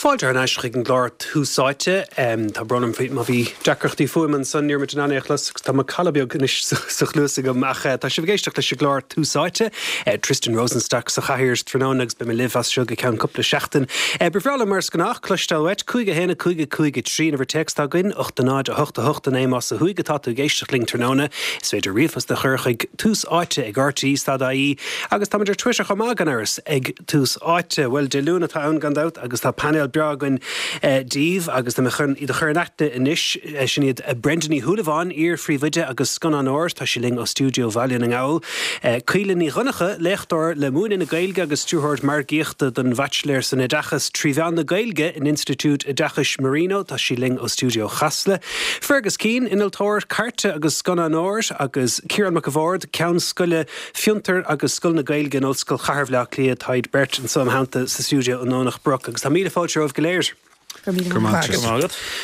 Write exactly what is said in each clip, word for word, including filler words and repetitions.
Fáilte thar n-ais chuig an gclár Tús Áite. Tá brón orm má bhí deacrachtaí fuaime ansan, ní raibh muid in ann é a chlos agus tá macalla beag anois sa chluas agam ach tá sibh ag éisteacht leis an gclár Tús Áite. Tristan Rosenstock sa chathaoir tráthnóna agus beidh mé libh as seo go ceann cúpla seachtain. Ba bhreá liom mar is gnách cloisteáil uait cúig a haon a cúig a cúig a trí an uimhir téacs atá againn, ocht a náid a hocht a hocht a naoi más ó thuaidh atá tú ag éisteacht linn tráthnóna. Is féidir ríomhphost a chur chuig tús áite ag RTE stad ie agus táimid ar Twitter chomh maith gan amhras ag Tús Áite. Bhuel Dé Luain atá ann gan dabht agus tá painéal breá againn daoibh agus tá mé chun iad a chur in aithne anois sin iad Brenda Ní Shúilleabháin, iar-phríomhoide agus scannánóir, tá sí linn ó stiúideo Bhaile na nGall. Caoilfhionn Ní Dhonncha, léachtóir le múineadh na Gaeilge agus stiúrthóir margaíochta don Bhaitsiléir san Oideachas trí mheán na Gaeilge in Institiúid Oideachais Marino, tá sí linn ó stiúideo Chasla. Fergus Keane, innealtóir cairte agus scannánóir agus Ciarán Mac a' Bhaird, ceann scoile Fiontar agus Scoil na Gaeilge in Ollscoil Chathair Bhaile Átha Cliath, tá iad beirt anseo im theannta sa stiúideo i nDomhnach Broc agus tá míle fáilte romhaibh go léir.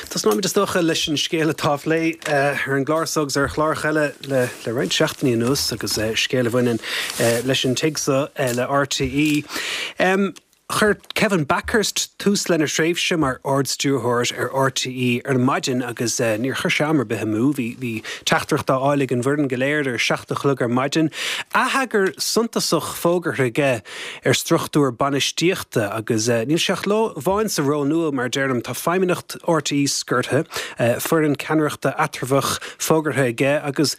Tosnóimid is dócha leis an scéal atá á phlé ar an gclár seo agus ar chláracha eile le le roinnt seachtainí anuas agus scéal a bhaineann leis an tigh seo le RTÉ. Um, Chuir Kevin Bakhurst tús lena thréimhse mar ardstiúrthóir ar RTÉ ar maidin agus uh, níor chuir sé am ar bith amú, bhí bhí teachtaireacht á fháil ag an bhfoireann go léir ar seacht a chlog ar maidin. Atheagar suntasach fógartha aige ar struchtúr bainistíochta agus uh, níl sé ach lá amháin sa ról nua mar deirim tá feidhmeannacht RTÉ scortha, uh, foireann ceannaireachta eatramhach fógartha aige agus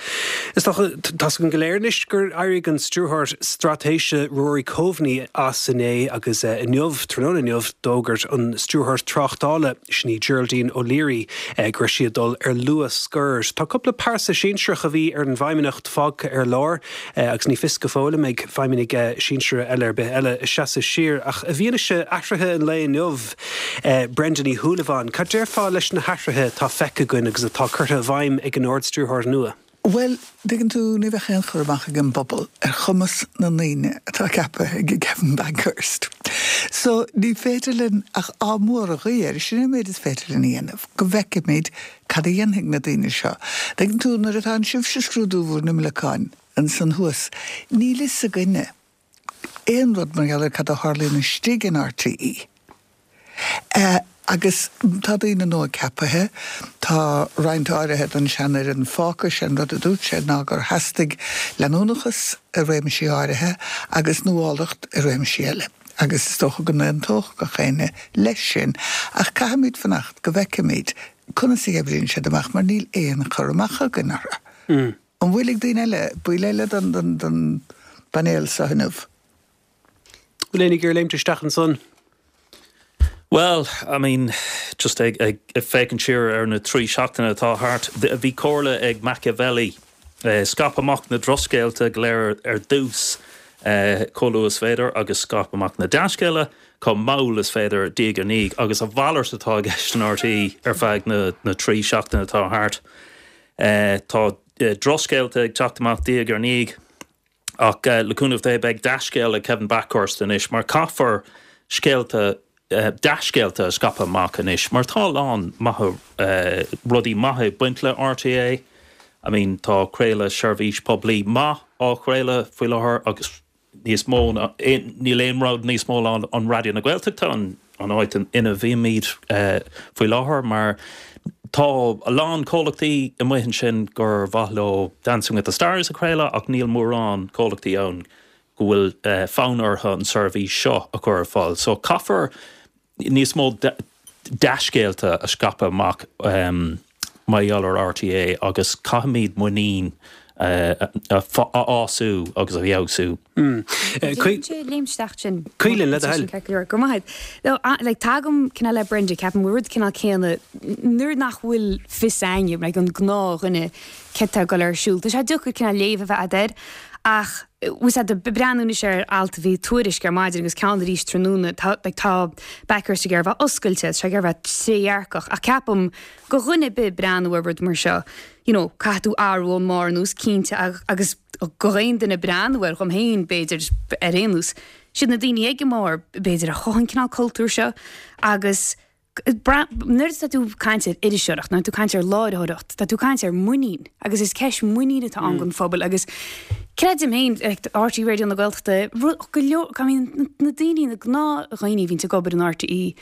is tá go léir anois gur éirigh an stiúrthóir straitéise Rory Coveney as inné agus uh, inniu tráthnóna inniu d'fhógair an stiúrthóir tráchtála sin í Geraldine O'Leary eh, go raibh sí ag dul ar luath-scor. Tá cúpla pearsa sinsearach a bhí ar an bhfeidhmeannacht fágtha ar lár eh, agus ní fios go fóill an mbeidh feidhmeannaigh eh, sinsir eile ar bith eile ag seasamh siar ach i bhfianaise athruithe an lae inniu eh, Brenda Ní Shúilleabháin, Cad déarfá leis na hathruithe atá feicthe againn agus atá curtha i bhfeidhm ag an ardstiúrthóir nua. Well, tuigeann tú ní bheadh aon chur amach ag an bpobal ar chumas na ndaoine atá ceaptha ag Kevin Bakhurst. So ní féidir linn ach ádh mór a ghuí air sin an méid is féidir linn a dhéanamh, go bhfeicfimid cad a dhéanfaidh na daoine seo. Tuigeann tú nuair atá sibhse ag scrúdú bhur n-imleacáin ansan thuas, níl a fhios againne aon rud mar gheall ar cad a tharlaíonn istigh in RTÉ. Uh, agus tá daoine nua ceaptha tá roinnt áirithe den seanfhoireann fágtha sin rud a dúirt sé ná gur theastaigh leanúnachas i réimsí áirithe agus nuálacht i réimsí eile. agus is dócha go n-aontódh gach éinne leis sin, ach caithfimid fanacht go bhfeicfimid conas a oibríonn siad amach mar níl aon chur amach againn orthu. Mm. An bhfuil ag daoine eile baill eile den den den bpainéal seo inniu. Bhfuil éinne ag léimt isteach ansan? Well, I mean, just ag ag ag féachaint siar ar na trí seachtaine atá thart, bhí comhairle ag Machiavelli uh, scaip amach na drochscéalta go léir ar dtús uh, chomh luath is féidir agus scaip amach na dea-scéalta chomh mall is féidir diaidh ar ndiaidh agus a mhalairt atá i gceist in RTÉ ar feadh na, na trí seachtaine atá thart. Uh, tá uh, drochscéalta ag teacht amach diaidh ar ndiaidh ach uh, le cúnamh Dé beidh dea-scéal ag Kevin Bakhurst anois mar caithfear scéalta uh, dea-scéalta a scaipeadh amach anois, mar tá a lán maith uh, rudaí maithe baint le RTÉ. I mean tá craoladh seirbhís poiblí maith á chraoladh faoi láthair agus níos mó níl aon rud níos mó an, an Raidió na Gaeltachta an, an áit ina bhímid uh, faoi láthair mar tá a lán comhlachtaí amuigh ansin gur mhaith leo Dancing with the Stars a chraoladh ach níl mórán comhlachtaí ann go bhfuil uh, fonn orthu an seirbhís seo a chur ar fáil. So caithfear níos mó dea-scéalta a scaipeadh amach um, mar gheall ar RTÉ agus caithfimid muinín uh, a fhású agus a fheabhsú. Léim sin Caoilfhionn le do thoil. Go maith. Le tagaim cineál le Brenda ceapaim rud cineál céanna nuair nach bhfuil fios againne le an gnáthdhuine cad tá ag dul ar siúl. Tá sé deacair cineál léamh a bheith air ach bhí breathnú ar alt bhí tuairisc ar maidin agus ceann arís tráthnóna tá Bakhurst ag iarraidh bheith oscailte sé ag iarraidh bheith trédhearcach ach ceapaim go dhuine bith breathnú ar rud mar seo. You know, caithfidh tú athrú ón mbarr anuas cinnte agus go aon duine breathnú ar dhom féin b'fhéidir ar aon nós. Siad na daoine ag an mbarr b'fhéidir a chothaíonn cineál cultúr seo agus nuair tá tú ag caint ar iriseoireacht, nó tú ag caint ar láithreoireacht, tá tú ag caint ar muinín agus is ceist muinín atá ann don phobal agus creidim féin RTÉ Raidió na Gaeltachta go leor na daoine na gnáthdhaoine a bhíonn ag obair in RTÉ.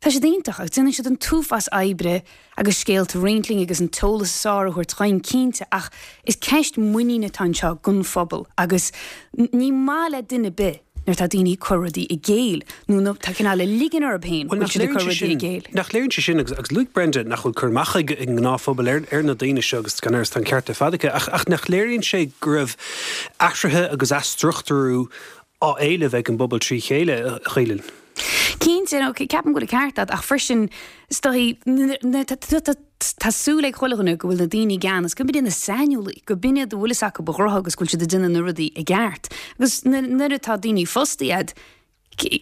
Tá siad iontach agus déanann siad an t-uafás oibre agus scéalta a roinnt linn agus an t-eolas is fearr a thabhairt dhúinn cinnte ach is ceist muiníne atá anseo don phobal agus ní maith le duine ar bith nuair atá daoine ag cur rudaí i gcéill nó nuair atá cineál ag ligean orthu féin go bhfuil siad ag cur rudaí i gcéill. Nach léiríonn sé sin agus agus luaigh Brenda nach bhfuil cur amach ag an ngnáthphobal ar ar na daoine seo agus gan amhras tá an ceart ar fad aici ach ach nach léiríonn sé go raibh athruithe agus athstruchtúrú á éileamh ag an bpobal trí chéile, a Chaoilfhionn. Cinnte, nó ceapaim go bhfuil an ceart agat, ach freisin, is dóigh, tá súil ag chuile dhuine go bhfuil na daoine i gceannas, go mb'in iad na saineolaí, go b'in iad a bhfuil fhios acu a ngnó agus go bhfuil siad ag déanamh na rudaí i gceart. Agus nuair atá daoine fostaithe agat,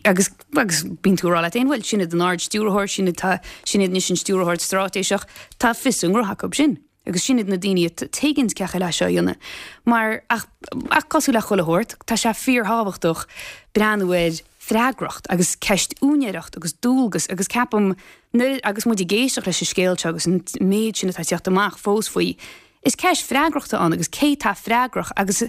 agus agus bíonn tú ag rá leat féin, bhuel, sin iad an Ard-Stiúrthóir, sin iad, sin iad anois an Stiúrthóir Straitéiseach, tá fios a ngnó acu sin. Agus sin iad na daoine a tuigeanns cén chaoi le seo a dhéanamh. Mar, ach, ach cosúil le chuile shórt, tá sé fíorthábhachtach breathnú ar freagracht agus ceist úinéireacht agus dualgas agus ceapaim nuair, agus muid ag éisteacht leis an scéal seo agus an méid sin atá ag teacht amach fós faoi, is ceist freagrachta ann agus cé tá freagrach agus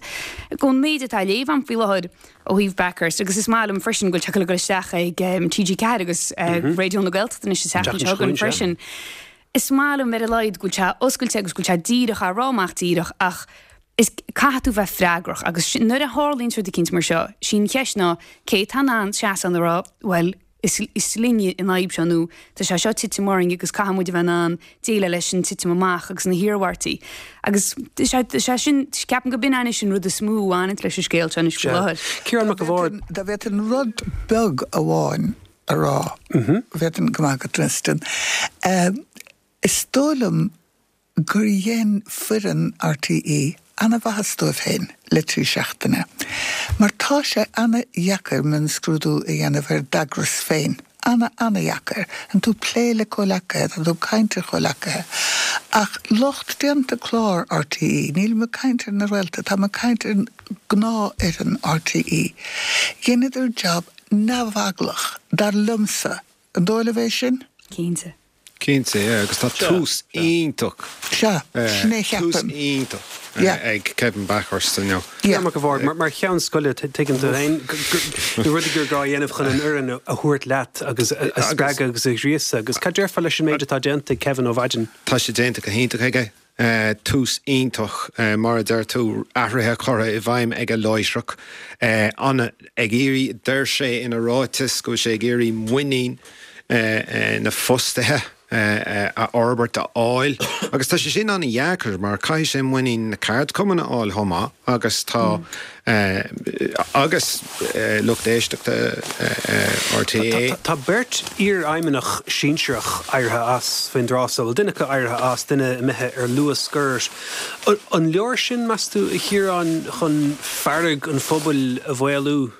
ón méid atá á léamh agam faoi láthair ó thaobh Bakhurst agus is maith liom freisin go bhfuil sé ag dul isteach ag T G ceathair agus Raidió na Gaeltachta anois an tseachtain seo chugainn freisin. Is maith liom ar a laghad go bhfuil sé oscailte agus go bhfuil sé díreach á rá amach díreach ach is caithfidh tú bheith freagrach agus nuair a tharlaíonn rud eicínt mar seo, sí an cheist ná cé atá in ann seasamh a rá bhuel is is linne an fhadhb seo nó tá sé seo titim orainn agus caithfidh muid a bheith in ann déileáil leis an titim amach agus na hiarmhairtí. Agus sé sé sin ceapaim go b'in anois an rud is mó a bhaineann leis an scéal seo anois faoi láthair. Ciarán Mac a' Bhaird. Dá bhféadfainn rud beag amháin a rá, bhféadfainn go maith agat Tristan. Is dóigh liom gur dhein foireann R T E an-mhaitheas dóibh féin le trí seachtaine, mar tá sé an-dheacair mionscrúdú a dhéanamh ar d'eagras féin. Ana, ana-dheacair. Tá tú ag plé le comhleacaithe, tá tú ag caint ar chomhleacaithe. Ach lucht déanta clár R T E, nílim ag caint ar na réalta, táim ag caint ar gnáthfhoireann R T E. Dheineadar jab neamheaglach, dar liomsa. An dóigh libh é sin? Cinnte. Cinnte, yeah, agus tá tús iontach. Sea, sin é Tús cheapaim. iontach Yeah. ag Kevin Bakhurst inniu. Yeah. Mac a' Bhaird, mar mar cheann scoile tuigeann tú féin na rudaí gur gá a dhéanamh chun an fhoireann a thabhairt leat agus a a spreagadh agus a ghríosadh agus cad déarfá leis an méid atá déanta ag Kevin ó mhaidin? Tá sé déanta go hiontach aige. Tús iontach, mar a deir tú, athruithe curtha i bhfeidhm aige láithreach. An ag iarraidh, deir sé ina ráiteas go bhfuil sé ag iarraidh muinín na fostaithe a fhorbairt, a fháil. Agus tá sé sin an-dheacair mar caithfidh sé muinín na ceardchumann a fháil chomh maith agus tá agus lucht éisteachta R T É. Tá beirt iarfheidhmeannach sinsearach éirithe as faoin dtráth so, bhuel duine acu éirithe as, duine imithe ar luath-scor. An leor sin, meas tú, a Chiaráin, chun fearg an phobail a mhaolú?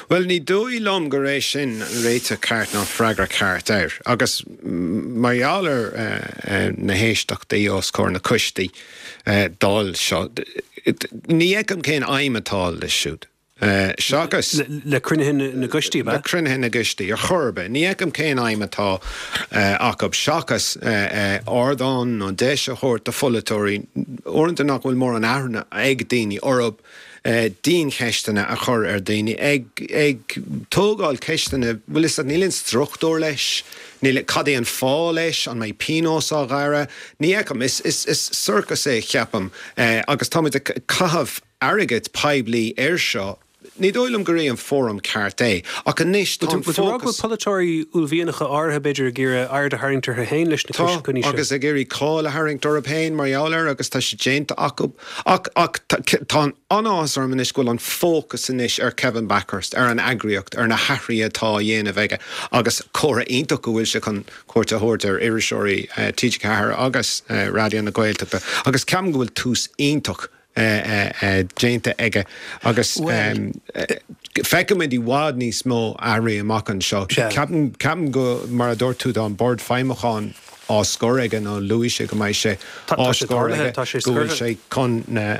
Bhuel, ní dóigh liom gur é sin an réiteach ceart ná freagra ceart air. Agus mar gheall ar na héisteachtaí os comhair na coistí Dáil seo, ní fheicim cén aidhm atá leis siúd. Seachas. Le cruinnithe na gcoistí, Le cruinnithe na gcoistí, ar chor ar bith. Ní fheicim cén aidhm atá acu seachas ardán nó deis a thabhairt do pholaiteoirí, uaireanta nach bhfuil mórán aithne ag daoine orthu, diancheisteanna a chur ar dhaoine, ag ag tógáil ceisteanna, bhfuil fhios agat, níl aon struchtúr leis, níl, cad é an fáth leis, an mbeidh pionós á ghearradh? Ní fheicim, is is is sorcas é, ceapaim, agus táimid ag caitheamh airgead poiblí air seo. Ní dóigh liom gur é an fóram ceart é, ach anois tá an Bhfuil tú ag rá go bhfuil fócas. polaiteoirí uaillmhianacha áirithe b'fhéidir ag iarraidh aird a tharraingt orthu féin leis na Tá, coinní seo? agus ag iarraidh cáil a tharraingt orthu féin mar gheall air agus tá sé déanta acu. Ach ach tá an-áthas orm anois go bhfuil an fócas anois ar Kevin Bakhurst, ar an eagraíocht, ar na hathruithe atá á dhéanamh aige agus comhartha iontach go bhfuil sé chun cuairt a thabhairt ar iriseoirí T G Ceathair agus Raidió na Gaeltachta agus ceapaim go bhfuil tús iontach déanta aige agus feicfimid i bhfad níos mó athruithe amach anseo. Ceapaim ceapaim go mar a dúirt tú tá an bord feidhmiúcháin á scor aige nó luaigh sé go mbeidh sé á scor aige go bhfuil sé chun na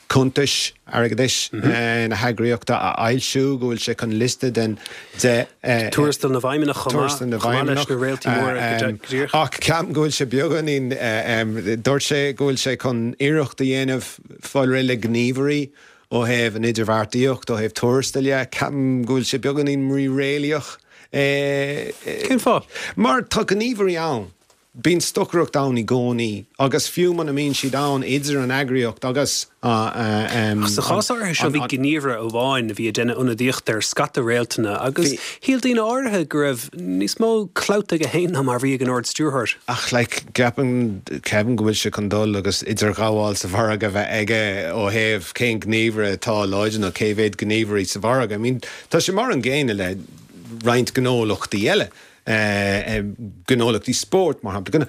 cuntais airgeadais na heagraíochta a fhoilsiú, go bhfuil sé chun liosta den de Tuarastal na bhfeidhmeannach chomh maith, chomh maith leis na réaltaí móra go díreach. Ach ceapaim go bhfuil sé beagáinín, dúirt sé go bhfuil sé chun iarracht a dhéanamh fáil réidh le gníomhairí ó thaobh an idirbheartaíocht, ó thaobh tuarastail dhe, ceapaim go bhfuil sé beagáinín míréalaíoch. Cén fáth? Mar tá gníomhairí ann. Bíonn stocaireacht ann i gcónaí agus fiú muna mbíonn siad ann idir an eagraíocht agus an. Sa chás áirithe seo bhí gníomhaire amháin a bhí ag déanamh ionadaíocht ar scata réaltanna agus shíl daoine áirithe go raibh níos mó clout aige féin ná mar a bhí ag an Ard-Stiúrthóir. Ach like ceapann Kevin go bhfuil sé chun dul agus idirghabháil sa mhargadh a bheith aige ó thaobh cén gníomhaire atá láidir nó cé mhéad gníomhairí sa mhargadh. I mean tá sé mar an gcéanna le roinnt gnólachtaí eile. gnólachtaí spóirt, mar shampla.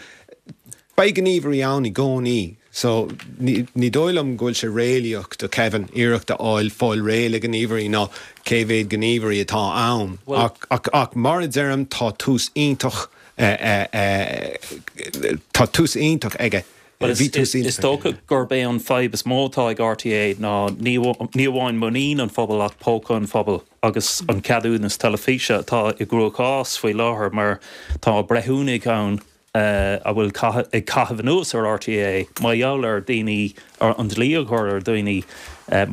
Beidh gníomhairí ann i gcónaí so ní dóigh liom go bhfuil sé réalaíoch do Kevin iarracht a fháil fáil réidh le gníomhairí ná cé mhéad gníomhairí atá ann. Ach ach mar a deirim tá tús iontach tá tús iontach aige. Bhuel, is dócha gurb é an fadhb is mó atá ag RTÉ ná ní amháin muinín an phobail ach póca an phobail agus an ceadúnas teilifíse atá i gcruachás faoi láthair mar tá breithiúnaigh ann a bhfuil ag caitheamh anuas ar RTÉ mar gheall ar daoine, an dlí a chur ar dhaoine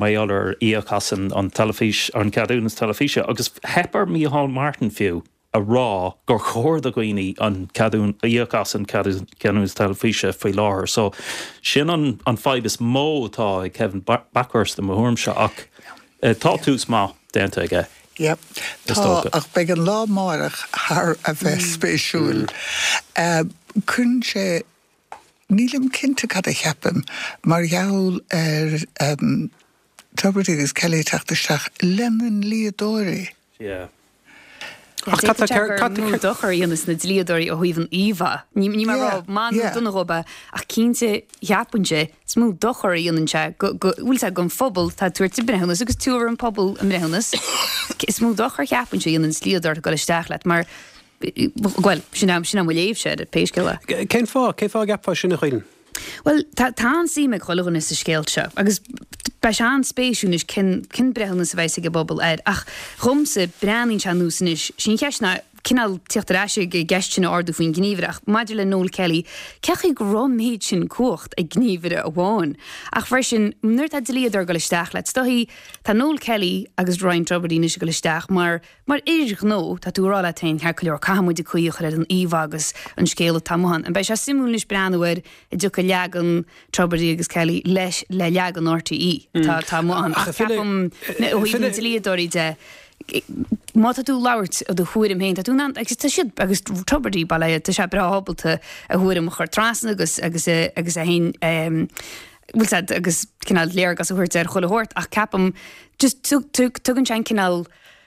mar gheall ar íoc as an teilifís, an ceadúnas teilifíse agus theip ar Micheál Martin fiú. a rá gur chóir do dhaoine an ceadún, íoc as an ceadúnas teilifíse faoi láthair. So sin an an fadhb is mó atá ag Kevin Bakhurst i mo thuairimse ach tá tús maith déanta aige. Yep. Tá, ach beidh an lá amárach thar a bheith spéisiúil. Cuireann sé, nílim cinnte cad a cheapaim mar gheall ar Tubridy agus Kelly ag teacht isteach lena ndlíodóirí. Yeah. Ach cad tá gur mó dochar a dhéanas na dlíodóirí ó thaobh an íomhá. Ní mé ag rá maith nó dona dhóibh é, ach cinnte cheapfainnse is mó dochar a dhéanann sé go bhfuil sé don phobal atá ag tabhairt a mbreithiúnas agus tabharfaidh an pobal a mbreithiúnas. Is mó dochar cheapfainnse a dhéanann dlíodóir ag dul isteach leat mar bhuel, sin é sin é mo léamhse air, pé scéal é. Cén fáth? Cén fáth a gceapfá sin a Chaoilfhionn? Bhuel, tá an-suim ag chuile dhuine sa scéal seo agus beidh sé an-spéisiúil anois cén cén breithiúnas a bheas ag an bpobal air. Ach dhomsa, breathnaíonn sé anuas anois, sí an cheist ná cineál tíocht ar ais ag an gceist sin a ardú faoin ngníomhaire ach maidir le Noel Kelly, cén chaoi go raibh an méid sin cumhacht ag gníomhaire amháin? Ach freisin, nuair atá dlíodóir ag dul isteach leat, is dóichí, tá Noel Kelly agus Ryan Tubridy anois ag dul isteach mar Mar fhir ghnó, tá tú ag rá leat féin, ceart go leor, caithfidh muid caoi a chur ar an íomhá agus an scéal atá amuigh ann. An beidh sé suimiúil anois breathnú air an dtiocfaidh leagan Tubridy agus Kelly leis le leagan RTÉ atá atá amuigh ann. Ach ceapaim, ó thaobh na dlíodóirí de, má tá tú ag labhairt ó do thuairim féin, tá tú in ann, agus tá siad, agus Tubridy, bail ó Dhia air, tá sé breá ábalta a thuairim a chur trasna agus agus agus é féin, bhfuil a fhios agat, agus cineál léargas a thabhairt ar chuile shórt ach ceapaim just tugann sé an cineál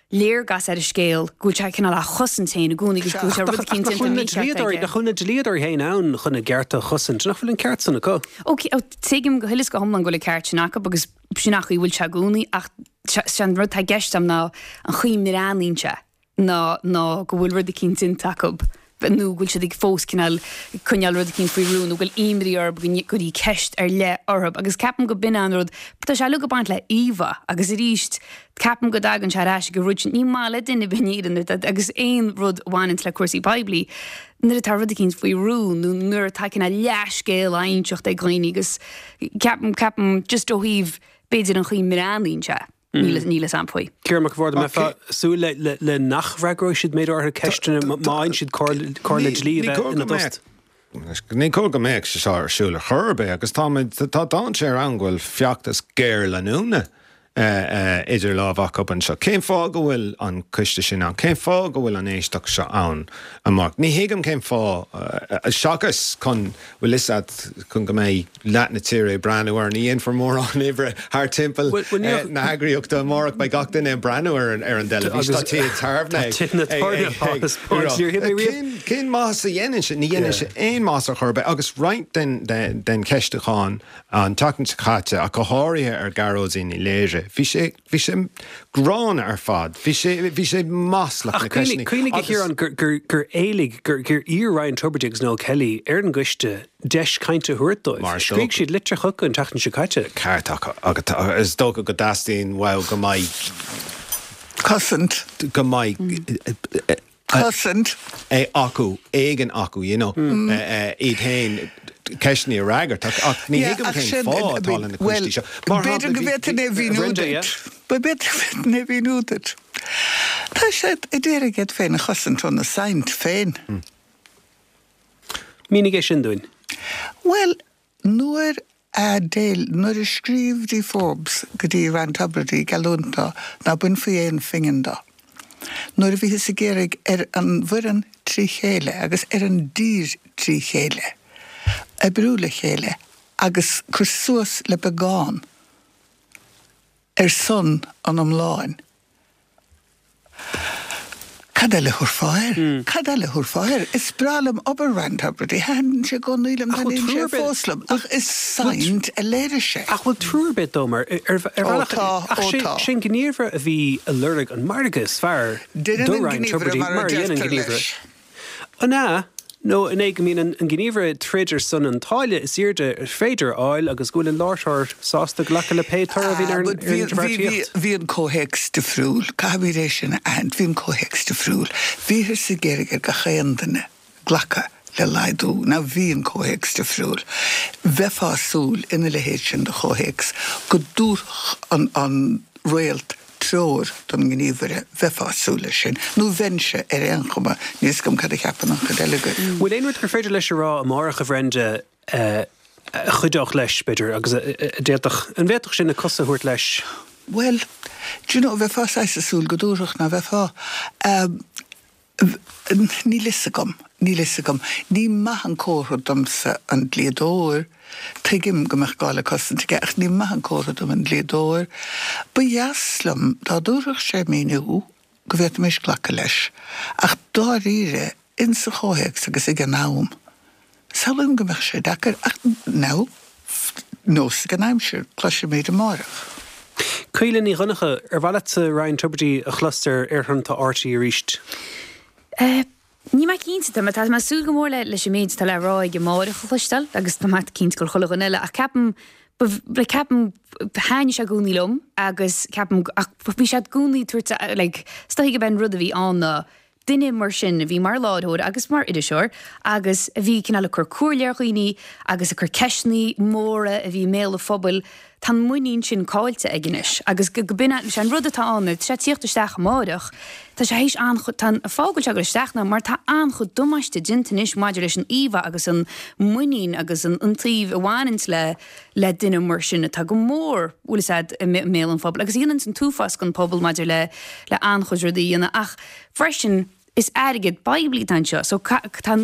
léargas ar an scéal go bhfuil sé cineál á chosaint féin i gcónaí agus go bhfuil sé rud eicínt déanta mícheart aige. Nach bhfuil na dlíodóirí féin ann chun a gcearta a chosaint? Nach bhfuil an ceart san acu? Ó, tuigim go huile is go hiomlán go bhfuil an ceart sin acu agus sin an chaoi a bhfuil sé i gcónaí ach sé an rud atá i gceist agam ná an chaoi a mbreathnaíonn sé ná ná go bhfuil rud eicínt déanta acu nó go bhfuil siad ag fós cineál coinneáil rud eicínt faoi rún nó go bhfuil imní orthu go gcuirfí ceist ar leith orthu agus ceapaim go b'in an rud, tá sé uilig ag baint le íomhá agus arís ceapaim go dtagann sé ar ais ag an rud sin, ní maith le duine ar bith in Éirinn agus aon rud a bhaineanns le cúrsaí poiblí nuair atá rud eicínt faoi rún nó nuair atá cineál leathscéal á inseacht ag dhaoine agus ceapaim, ceapaim just ó thaobh b'fhéidir an chaoi a mbreathnaíonn sé. Níl a fhios a'm faoi. Ciarán Mac an Bhaird, an mbeifeá ag súil le nach bhfreagróidh siad méid áirithe ceisteanna má fhaigheann siad comhairle dlí a bheith ina dtost? Ní cóir go mbeadh sé seo ar siúl ar chor ar bith agus táimid, tá dainséar ann go bhfuil feachtas géarleanúna idir lámha acu anseo. Cén fáth go bhfuil an coiste sin ann? Cén fáth go bhfuil an éisteacht seo ann amárach? Ní thuigim cén fáth, seachas chun, bhfuil fhios a'd, chun go mbeidh leath na tíre ag breathnú air. Ní dhéanfar mórán oibre thar timpeall na heagraíochta amárach. Beidh gach duine ag breathnú ar an dteilifís. Tá tithe tábhairne ag. Cén maitheas a dhéanann sé? Ní dhéanann sé aon maitheas ar chor ar bith. Agus roinnt den cheistiúchán an tseachtain seo caite, ach go háirithe ar Ghearóidín Ní Laoire, bhí sé, bhí sé gránna ar fad. Bhí sé, bhí sé maslach na ceisteanna. Ach cuimhnigh, a Chiaráin, gur, gur éiligh, gur, gur iarr Ryan Tubridy agus Noel Kelly ar an gcoiste deis cainte a thabhairt dóibh. Mar is dócha. Scrígh siad litir chucu an tseachtain seo caite. Ceart acu. Agus is dócha go dteastaíonn uathu go mbeidh. Cosaint. Go mbeidh. Cosaint. acu, éigin acu, you know, iad féin. ceisteanna a fhreagairt ach ní thuigim cén fáth atá le na coistí seo. B'fhéidir go bhféadfainn é a mhíniú duit. B'fhéidir go bhféadfainn é a mhíniú duit. Tá siad ag iarraidh iad féin a chosaint óna saint féin. Mínigh é sin dúinn. Bhuel, nuair a d'éil, nuair a scríobh Dee Forbes go dtí Ryan Tubridy ag geallúint dó ná bainfí aon phingin dó, nuair a bhíothas ag iarraidh ar an bhfoireann trí chéile agus ar an dtír trí chéile oibriú le chéile agus cur suas le beagán ar son an iomláin, Cad eile a thabharfá air? Cad eile a thabharfá air? Is breá liom obair Ryan Tubridy, thaitin sé i gcónaí liom, taitníonn sé fós liom, ach is saint a léirigh sé. Ach bhfuil trua ar bith dó mar ar bhealach ach sé an gníomhaire a bhí ag lorg an margadh is fearr do Ryan Tubridy mar a dhéanann an gníomhaire. An ea? Nó an é go mbíonn an gníomhaire ag troid ar son an táille is airde is féidir a fháil agus go bhfuil an láithreoir sásta glacadh le pé toradh a bhíonn ar an idirbheartaíocht? Bhí an comhthéacs difriúil, caithfimid é sin a aithint, bhí an comhthéacs difriúil. Bhíothas ag iarraidh ar gach aon duine glacadh le laghdú. Now bhí an comhthéacs difriúil. Bheifeá ag súil ina leithéid sin de chomhthéacs go dtabharfadh an réalt treoir don ngníomhaire, bheifeá ag súil leis sin, nó bheinnse ar aon chuma, níl 'fhios agam cad a cheapann an chuid eile agaibh. Bhfuil aon rud gur féidir leis a rá amárach, a Bhrenda, a chuideodh leis, b'fhéidir, agus a d'fhéadfadh, an bhféadfadh sin na cosa a thabhairt leis? Bhuel, do you know, bheifeá saghas ag súil go dtabharfadh, ná bheifeá? Níl fhios agam, níl fhios agam. Ní maith an comhartha domsa an dlíodóir. Tuigim go mbeadh gá le cosaint aige ach ní maith an comhartha dom an dlíodóir. Ba dheas liom dá dtabharfadh sé míniú go bhféadfaimis glacadh leis. Ach dáiríre, insa chomhthéacs agus ag an am, samhlaím go mbeadh sé deacair. Ach now, nós ag an aimsir, cloisfimid amárach. Caoilfhionn Ní Dhonncha, ar mhaith leatsa Ryan Tubridy a chlos ar aerthonnta RTÉ arís? Níl mé cinnte, tá mé tá mé ag súil go mór le leis an méid atá le rá aige amárach a chloisteáil agus tá mé cinnte gur chuile dhuine eile ach ceapaim ba ceapaim thaitnigh sé i gcónaí liom agus ceapaim ach bhí sé i gcónaí ag tabhairt like is dóigh gurb é an rud a bhí ann ná duine mar sin a bhí mar láithreoir agus mar iriseoir agus a bhí cineál ag cur comhairle ar dhaoine agus ag cur ceisteanna móra a bhí i mbéal an phobail, tá an muinín sin caillte aige anois agus go b'in é an rud atá ann, tá sé ag tíocht isteach amáireach, tá sé théis an-chuid, tá an fáth go bhfuil sé ag dul isteach ná mar tá an-chuid damáiste déanta anois maidir leis an íomhá agus an muinín agus an taobh a bhaineanns le le duine mar sin atá go mór, bhfuil fhios a'd, i mbéal an phobail agus a dhéananns an t-uafás don pobal maidir le le an-chuid rudaí a dhéanamh ach freisin is airgead poiblí atá anseo so tá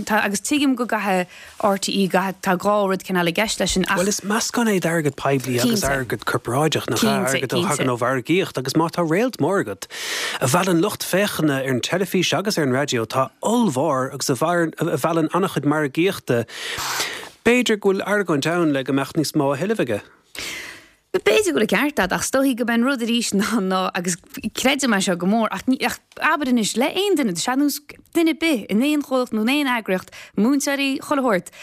tá agus tuigim go gcaithfidh RTÉ gcaithfidh tá dhá rud cineál i gceist leis sin ach Bhuel is meascán é d'airgead poiblí agus Cinnte. airgead corparáideach nach ea, Cinnte, airgead a cinnte. thagann ó mhargaíocht agus má tá réalt mór agat a mheallann lucht féachana ar an teilifís agus ar an raidió atá ollmhór agus a mheallann an-chuid margaíochta, B'fhéidir go bhfuil argóint ann le go mbeadh níos mó á thuilleamh aige. B'fhéidir go bhfuil an ceart agat ach is dóichí gurb é an rud arís ná ná agus creidim é seo go mór ach ní ach abair anois le aon duine, tá sé ar nós duine ar bith in aon chomhlacht nó in aon eagraíocht, múinteoirí, chuile shórt,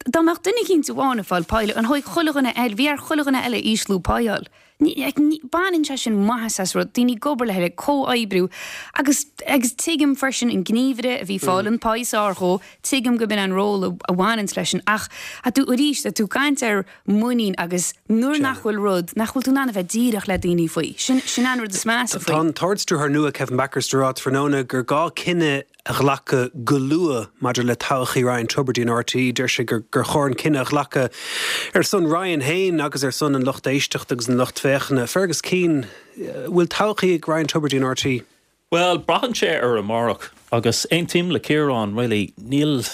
dá mbeadh duine eicínt amháin ag fáil pá an dóigh chuile dhuine eile, bhí ar chuile dhuine eile ísliú pá a fháil. Baineann sé sin maitheas as rud, daoine ag obair le chéile, comhoibriú agus agus tuigim freisin an gníomhaire a bhí ag fáil an pá is fearr dhó, tuigim go b'in an ról a bhaineanns leis sin ach tá tú arís, tá tú ag caint ar muinín agus nuair nach bhfuil rud, nach bhfuil tú in ann a bheith díreach le daoine faoi, sin sin an rud is measa Tá faoi. an tArd-Stiúrthóir nua Kevin Bakhurst ag rá tráthnóna gur gá cinneadh a ghlacadh go luath maidir le todhchaí Ryan Tubridy in RTÉ. Deir sé gur chóir an cinneadh a ghlacadh ar son Ryan féin agus ar son an lucht éisteachta agus an lucht féachana. Fergus Keane, bhfuil todhchaí ag Ryan Tubridy in RTÉ? Bhuel, braitheann sé ar amárach agus aontaím le Ciarán really, níl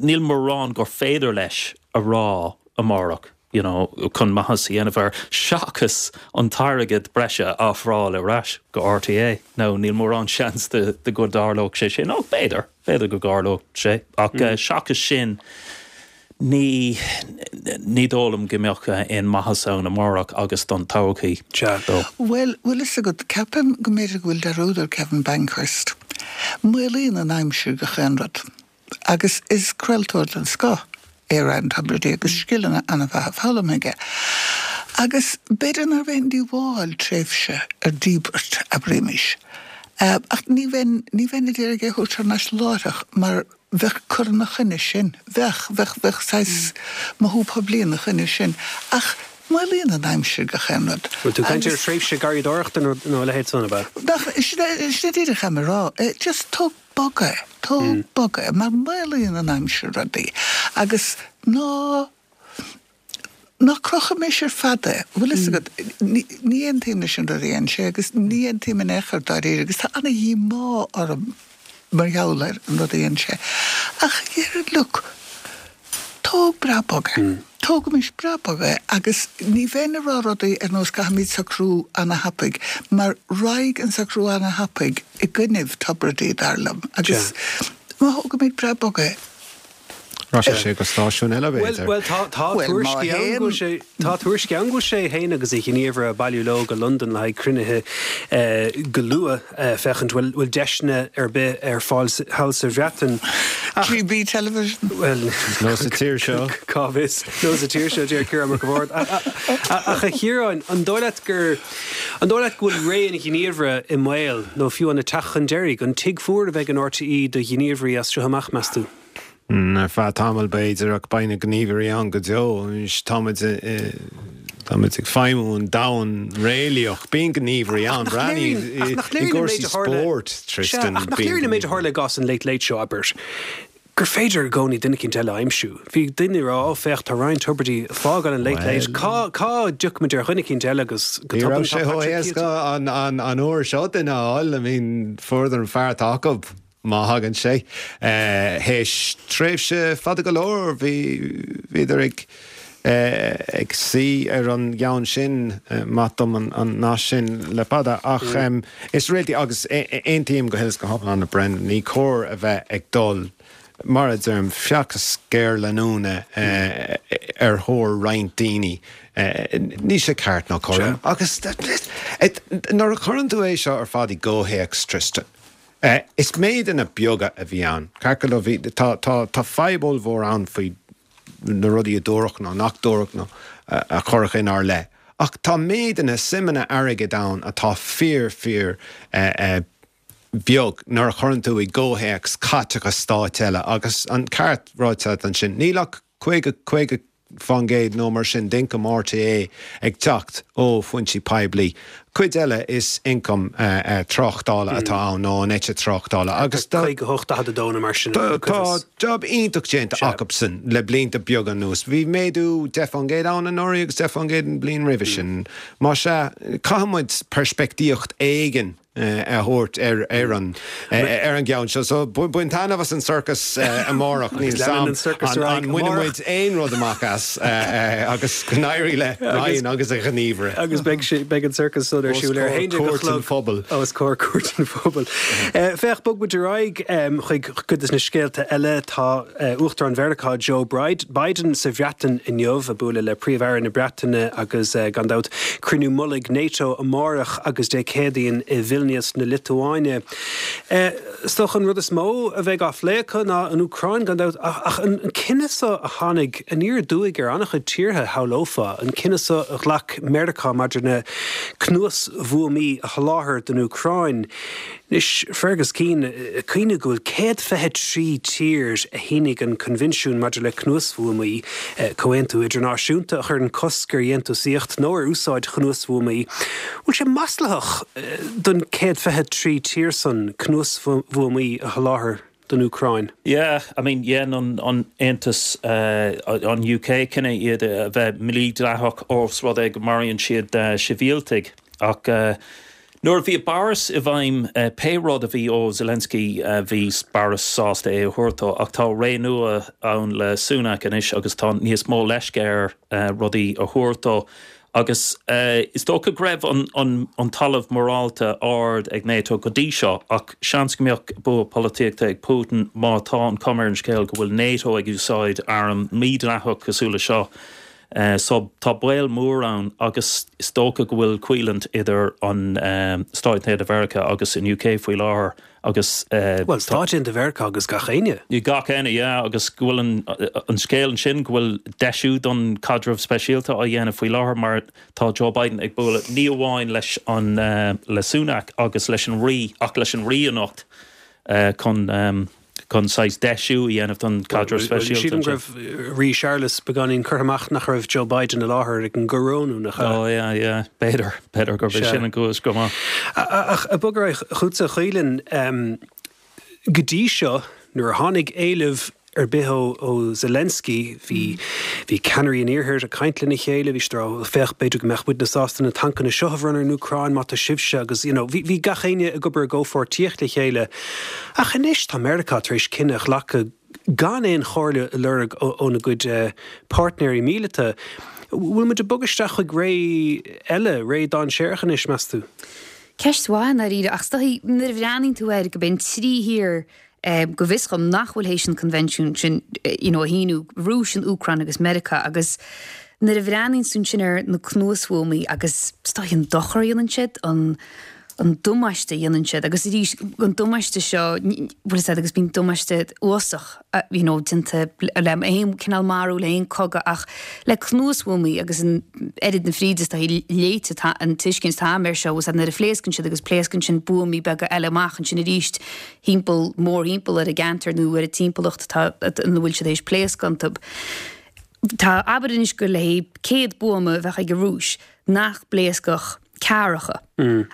níl mórán gur féidir leis a rá amárach. you know, chun maitheas a dhéanamh air seachas an t-airgead breise a ofráil ar ais go RTÉ. Nó níl mórán seans de, de go dtarlódh sé sin. Nó b'fhéidir, b'fhéidir go dtarlódh sé. Ach mm. uh, seachas sin ní ní dóigh liom go mbeadh aon maitheas ann amárach agus don todhchaí dó. Bhuel, bhfuil fhios agat, ceapaim go mb'fhéidir go bhfuil dearúd ar Kevin Bankhurst. Maolaíonn an aimsir gach aon rud. Agus is craoltóir den scoth é Ryan Tubridy agus scileanna an-mhaithe foghlamtha aige. Agus b'fhéidir nárbh aon díobháil tréimhse ar díbirt, abraímis. Ach ní bheinn, ní bheinn ag iarraidh é a thabhairt thar n-ais láithreach mar bheadh cur ina choinne sin, bheadh, bheadh, bheadh saghas mothú poiblí ina choinne sin. Ach maolaíonn an aimsir gach aon rud. Bhfuil tú ag caint ar thréimhse garraíodóireachta nó a leithéid san, ab ea? Nach, sin é, sin é díreach atá mé a rá. Just tóg bog é, tóg bog é, mar maolaíonn an aimsir rudaí. Agus ná, ná crochaimis ar fad é, bhfuil fhios agat, ní aontaím leis an rud a dhein sé agus ní aontaím in aon chor dáiríre agus tá ana-dhíomá orm mar gheall ar an rud a dhein sé. Ach dhéarfainn, look, tóg breá bog é. Tógaimis breá bog é agus ní bheinn ag rá rudaí ar nós caithfimid socrú ana-thapaidh mar raghaidh an socrú ana-thapaidh i gcoinnibh Tubridy dar liom agus má thógaimid breá bog é, Rachaidh sé go stáisiún eile, b'fhéidir. Bhuel, tá tuairiscí ann go bhfuil sé, tá tuairiscí ann go bhfuil sé féin agus a ghníomhaire ag bailiú leo go Londain le haghaidh cruinnithe go luath féachaint bhfuil bhfuil deiseanna ar bith ar fáil thall sa Bhreatain. Ach, GB Television. Bhuel, Nó sa tír seo. Cá bhfios? Nó sa tír seo, deir Ciarán Mac an Bhaird. Ach a Chiaráin, an dóigh leat gur, an dóigh leat go bhfuil ré an ghníomhaire i mbaol nó fiú an ag teacht chun deiridh? An tigh fuar a bheidh in RTÉ do ghníomhairí as seo amach, meas tú? Ar feadh tamaill, b'fhéidir, ach beidh na gníomhairí ann go deo. Anois, táimid, táimid ag feidhmiú in domhan réalaíoch. Bíonn gníomhairí ann. Breathnaigh i gcúrsaí spóirt, Tristan. Ach nach léiríonn an méid a tharla i gcás an Late Late Show, abair, gur féidir i gcónaí duine eicínt eile a aimsiú. Bhí daoine ag rá, ó féach, tá Ryan Tubridy ag fágáil an Late Late. Cá, cá dtiocfaimid ar dhuine eicínt eile agus go tobann tá Patrick Ní raibh sé chomh héasca an, an, an uair seo duine a fháil. I mean, fuaireadar an fear atá acu. Má thagann sé théis tréimhse fada go leor, bhí, bhíodar ag, ag suí ar an gceann sin, maith dom an nath sin le fada, ach is réaltaí, agus aontaím go huile is go hiomlán le Brendan, ní cóir a bheith ag dul, mar a deirim, feachtas géarleanúna ar thóir roinnt daoine. Níl sé ceart ná cothrom. Agus nuair a chuireann tú é seo ar fad i gcomhthéacs, Tristan, Is méideanna beaga a bhí ann. Ceart go leor, bhí, tá, tá, tá fadhb ollmhór ann faoi na rudaí a dúradh nó nach dúradh nó a cuireadh inár leith. Ach tá méideanna, suimeanna airgid ann atá fíor, fíor beag nuair a chuireann tú i gcomhthéacs caiteachas stáit eile. Agus an ceart ráite agat ansin, níl ach caoga, caoga fán gcéad nó mar sin d'ioncam RTÉ ag teacht ó foinsí poiblí. Cuid eile is ioncam tráchtála atá ann nó an eite tráchtála agus tá. caoga a hocht, daichead a dó nó mar sin. Tá jab iontach déanta acusan le blianta beaga anuas. Bhí méadú deich fán gcéad ann anuraidh agus deich fán gcéad an bhliain roimhe sin. Más ea, caithfidh muid peirspictíocht éigin a thabhairt ar ar an ar an gceann seo. So bain taitneamh as an sorcas amárach, níl 's a'm an mbainfidh muid aon rud amach as agus go n-éirí le Ryan agus a ghníomhaire. Agus beidh sé beidh an sorcas san ar siúl ar a haon déag a chlog os comhair Cúirt an Phobail. Féach, bog muid ar aghaidh chuig cuid de na scéalta eile. Tá Uachtarán Mheiriceá Joe Biden sa Bhreatain inniu ag bualadh le Príomh-Aire na Breataine agus gan dabht cruinniú mullaigh NATO amárach agus Dé Céadaoin i Vilnius na Liotuáine. Is dócha an rud is mó a bheidh á phlé acu ná an Úcráin gan dabht ach an cinneadh seo a tháinig aniar aduaidh ar an-chuid tíortha, shamhlófá, an cinneadh seo a ghlac Meiriceá maidir na cnuasbhuamaí a sholáthar don Úcráin. Anois, Fergus Keane, cuimhnigh go bhfuil céad fiche trí tír a shínigh an Coinbhinsiún maidir le Cnuasbhuamaí, comhaontú idirnáisiúnta a chuireann cosc ar dhéantúsaíocht nó ar úsáid chnuasbhuamaí. Bhfuil sé maslaitheach don céad fiche trí tír san cnuasbhuamaí a sholáthar don Úcráin? Yeah, I mean, dhein an an Aontas, an UK cinneadh iad a bheith mídhleathach ós rud é go maraíonn siad sibhialtaigh ach nuair a bhí Boris i bhfeidhm pé rud a bhí ó Zelensky bhí Boris sásta é a thabhairt dó ach tá ré nua ann le Sunak anois agus tá níos mó leisce air rudaí a thabhairt dó. Agus is dócha go raibh an talamh morálta ard ag NATO go dtí seo, ach seans go mbeadh bua polaitíochta ag Putin má tá an chuma ar an scéal go bhfuil NATO ag úsáid arm mídhleathach cosúil le seo. So tá baol mór ann agus is dócha go bhfuil coimhlint idir an Stáit Aontaithe Mheiriceá agus an UK faoi láthair. Agus Bhuel, Stáit Aontaithe Mheiriceá agus gach éinne. Gach éinne, yeah, agus go bhfuil an an scéal ansin go bhfuil deisiú don caidreamh speisialta á dhéanamh faoi láthair mar tá Joe Biden ag bualadh ní amháin leis an le Sunak agus leis an Rí ach leis an Rí anocht chun chun saghas deisiú a dhéanamh don caidreamh speisialta. Sílim go raibh Rí Séarlas beagáinín curtha amach nach raibh Joe Biden i láthair ag an gcorónú, nach ea? Ó yeah, yeah, b'fhéidir, b'fhéidir gurb é sin an cúis go maith. Ach ag bogadh ar aghaidh chugatsa a Chaoilinn, go dtí seo nuair a tháinig éileamh ar bith ó Zelensky, bhí bhí ceannairí an Iarthair ag caint lena chéile, bhí siad ag rá féach b'fhéidir go mbeadh muidne sásta na tancanna seo a bhronnadh ar an Úcráin má tá sibhse agus you know bhí bhí gach éinne ag obair i gcomhpháirtíocht le chéile. Ach anois tá Meiriceá tar éis cinneadh a ghlacadh gan aon chomhairle a lorg óna gcuid páirtnéirí míleata. Bhfuil muid ag bogadh isteach chuig ré eile, ré dainséarach anois, meas tú? Ceist mhaith i ndáiríre, ach is dóichí nuair a bhreathnaíonn tú air go b'in trí thír go bhfios dhom nach bhfuil théis an coinbhinsiún sin you know a shíniú, Rúis, an Úcráin agus Meiriceá agus nuair a bhreathnaíonn tú ansin ar na cnuasbhuamaí agus is dóichí an dochar a dhéanann siad, an an damáiste a dhéanann siad agus arís an damáiste seo bhfuil fhios agat agus bíonn damáiste uafásach you know déanta le aon cineál marú le aon cogadh ach le cnuasbhuamaí agus an oiread na fríde is dóichí léite atá an tuiscint atá agam air seo bhfuil fhios agat nuair a phléascann siad agus pléascann sin buamaí beaga eile amach ansin arís thimpeall mórthimpeall ar an gceantar nó ar an timpeallacht atá ina bhfuil siad théis pléascadh iontu. Tá abair anois gur le céad buama a bheadh ag an Rúis nach bpléascfadh ceathracha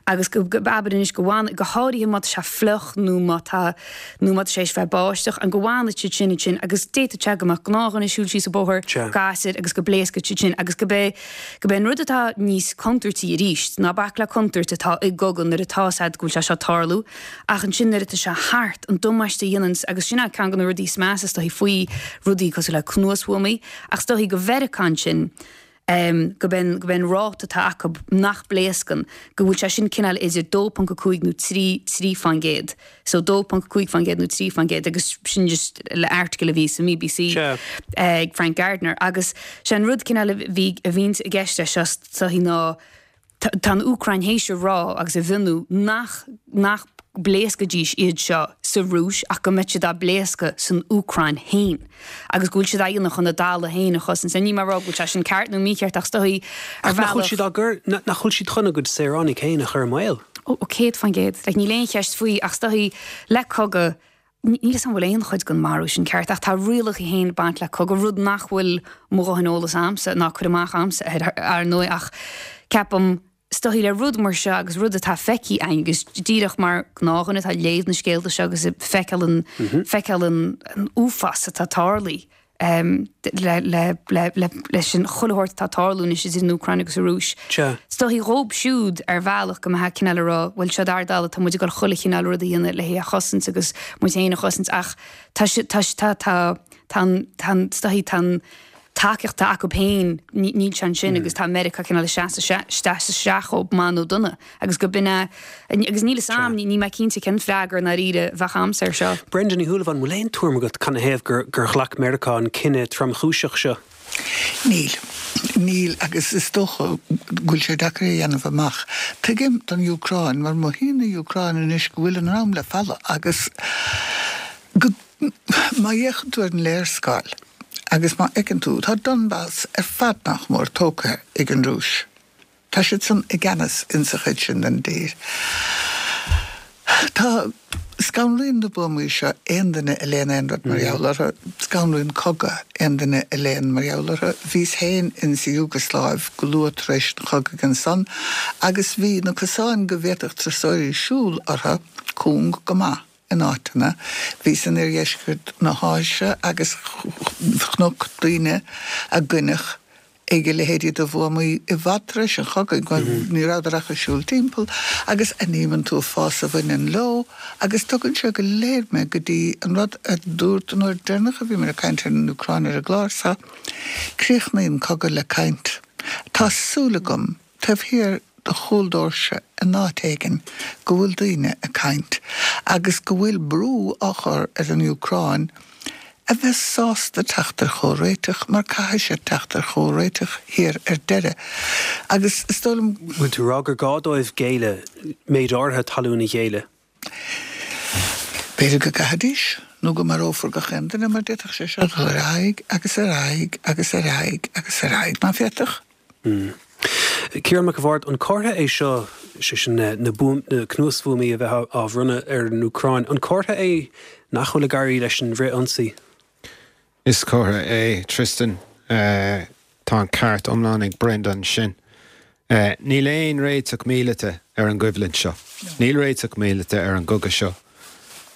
agus go abair anois go bhfanfaidh, go háirithe má tá sé fliuch nó má tá nó má tá sé ag bheith báisteach, an go bhfanfaidh siad sin ansin agus d'fhéadfadh sé go mbeadh gnáthdhuine ag siúl síos an bóthar, gasúr agus go bpléascfadh siad sin agus go b'é go b'é an rud atá níos contúirtí arís ná bac le contúirt atá i gcogadh nuair atá 's a'd go bhfuil sé seo ag tarlú ach ansin nuair atá sé thart an damáiste a dhéanann agus sin é ceann de na rudaí is measa is dóichí faoi rudaí cosúil le cnuasbhuamaí ach is dóichí do Mheiriceá ansin go b'é go b'é an ráta atá acu nach bpléascann, go bhfuil sé sin cineál idir dó ponc a cúig nó trí, trí faoin gcéad. So dó ponc a cúig faoin gcéad nó trí faoin gcéad agus sin just le article a bhí sa mBBC ag Frank Gardner agus sé an rud cineál a bhí a bhíonns i gceist leis seo is dóichí ná Tá an Úcráin théis a rá agus a mhionnú nach nach bpléascfaidís iad seo sa Rúis ach go mbeidh siad á bpléascadh san Úcráin féin agus go bhfuil siad á dhéanamh chun a dtalamh féin a chosaint. Níl mé ag rá go bhfuil sé sin ceart nó mícheart ach is dóichí ar bhealach. Nach bhfuil siad á gcur, nach bhfuil siad chun a gcuid saoránaigh féin a chur i mbaol? Ó, céad faoin gcéad. Like, níl aon cheist faoi ach is dóichí le cogadh, níl 'fhios a'm an bhfuil aon chuid den marú sin ceart ach tá rialacha féin ag baint le cogadh, rud nach bhfuil mo dhóthain eolas a'msa ná cur amach a'msa air ar ndóigh ach ceapaim is dóichí le rud mar seo agus rud atá feicthe a'inn agus díreach mar gnáthdhuine atá ag léamh na scéalta seo agus ag feiceáil an feiceáil an uafás atá tarlaithe leis an chuile shórt atá ag tarlú anois idir an Úcráin agus an Rúis. Is dóichí dhóibh siúd ar bhealach go mbeifeá cineál ag rá, bhuel seo ár dtalamh, tá muid ag dul chuile chineál rud a dhéanamh le hé a chosaint agus muid féin a chosaint ach tá tá tá tá tá an tá an is dóichí tá an tacaíocht atá acu féin níl sé ansin agus tá Meiriceá cineál ag seasamh isteach dhóibh maith nó dona agus go b'in é agus níl 'fhios a'm, níl mé cinnte cén freagra i ndáiríre a bheadh a'msa air seo. Brenda Ní Shúilleabháin, an bhfuil aon tuairim agat canathaobh gur gur ghlac Meiriceá an cinneadh tromchúiseach seo? Níl. Níl agus is dócha go bhfuil sé deacair a dhéanamh amach. Tuigim don Úcráin mar mothaíonn an Úcráin anois go bhfuil a ndroim le falla agus go má fhéachann tú ar an léarscáil Agus má fheiceann tú, tá Donbas ar fad nach mór tógtha ag an Rúis. Tá siad san i gceannas insa chuid sin den dtír. Tá, scanraíonn na buamaí seo aon duine a léann aon rud mar gheall orthu. Scanraíonn cogadh aon duine a léann mar gheall orthu. Bhíos féin insa Iúgasláiv go luath tar éis an chogaidh ansan agus bhí na cosáin go bhféadfadh turasóirí siúl orthu cúng go maith. in áiteanna. Bhíos in oirdheisceart na hÁise agus chonac daoine a goineadh ag a leithéidí de bhuamaí i bhfad tar éis an chogaidh, ní rabhadar ach ag siúl timpeall, agus anímonn tú an fás a bhaineann leo agus tugann sé go léir mé go dtí an rud a dúirt an uair deireanach a bhíomar ag caint ar an Úcráin ar an gclár seo, críochnaíonn cogadh le caint. Tá súil agam taobh thiar de chúl doirse in áit éigin go bhfuil daoine ag caint agus go bhfuil brú á chur ar an Úcráin a bheith sásta teacht ar chomhréiteach mar caithfidh siad teacht ar chomhréiteach thiar ar deireadh agus is dóigh liom Bhfuil tú ag rá gur gá dóibh géilleadh, méid áirithe talún a ghéilleadh? B'fhéidir go gcaithfidís, nó go marófar gach aon duine mar d'fhéadfadh sé seo dul ar aghaidh agus ar aghaidh agus ar aghaidh agus ar aghaidh, nach bhféadfadh? Ciarán Mac a' Bhaird, an comhartha é seo, sé sin na na cnuasbhuamaí a bheith á bhronnadh ar an Úcráin, an comhartha é nach bhfuil ag éirí leis an bhfrith-ionsaí? Is comhartha é, Tristan. Tá an ceart iomlán ag Brenda ansin. Níl aon réiteach míleata ar an gcoimhlint seo. Níl réiteach míleata ar an gcogadh seo.